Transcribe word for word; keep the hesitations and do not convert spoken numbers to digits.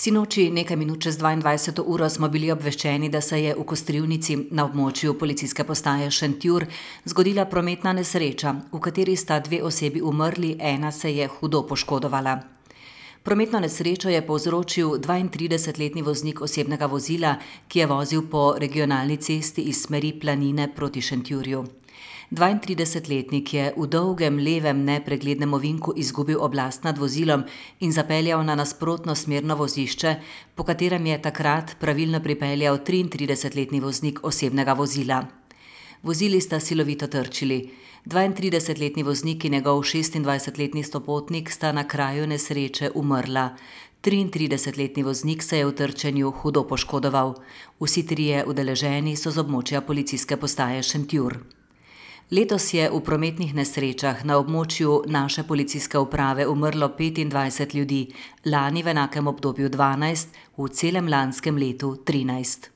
Sinoči nekaj minut čez dvaindvajseto uro smo bili obveščeni, da se je v Kostrivnici na območju policijske postaje Šentjur zgodila prometna nesreča, v kateri sta dve osebi umrli, ena se je hudo poškodovala. Prometno nesrečo je povzročil dvaintridesetletni voznik osebnega vozila, ki je vozil po regionalni cesti iz smeri Planine proti Šentjurju. dvaintridesetletnik je v dolgem levem nepreglednem ovinku izgubil oblast nad vozilom in zapeljal na nasprotno smerno vozišče, po katerem je takrat pravilno pripeljal triintridesetletni voznik osebnega vozila. Vozili sta silovito trčili. dvaintridesetletni voznik in njegov šestindvajsetletni sopotnik sta na kraju nesreče umrla. triintridesetletni voznik se je v trčenju hudo poškodoval. Vsi trije udeleženi so z območja policijske postaje Šentjur. Letos je v prometnih nesrečah na območju naše policijske uprave umrlo petindvajset ljudi, lani v enakem obdobju dvanajst, v celem lanskem letu trinajst.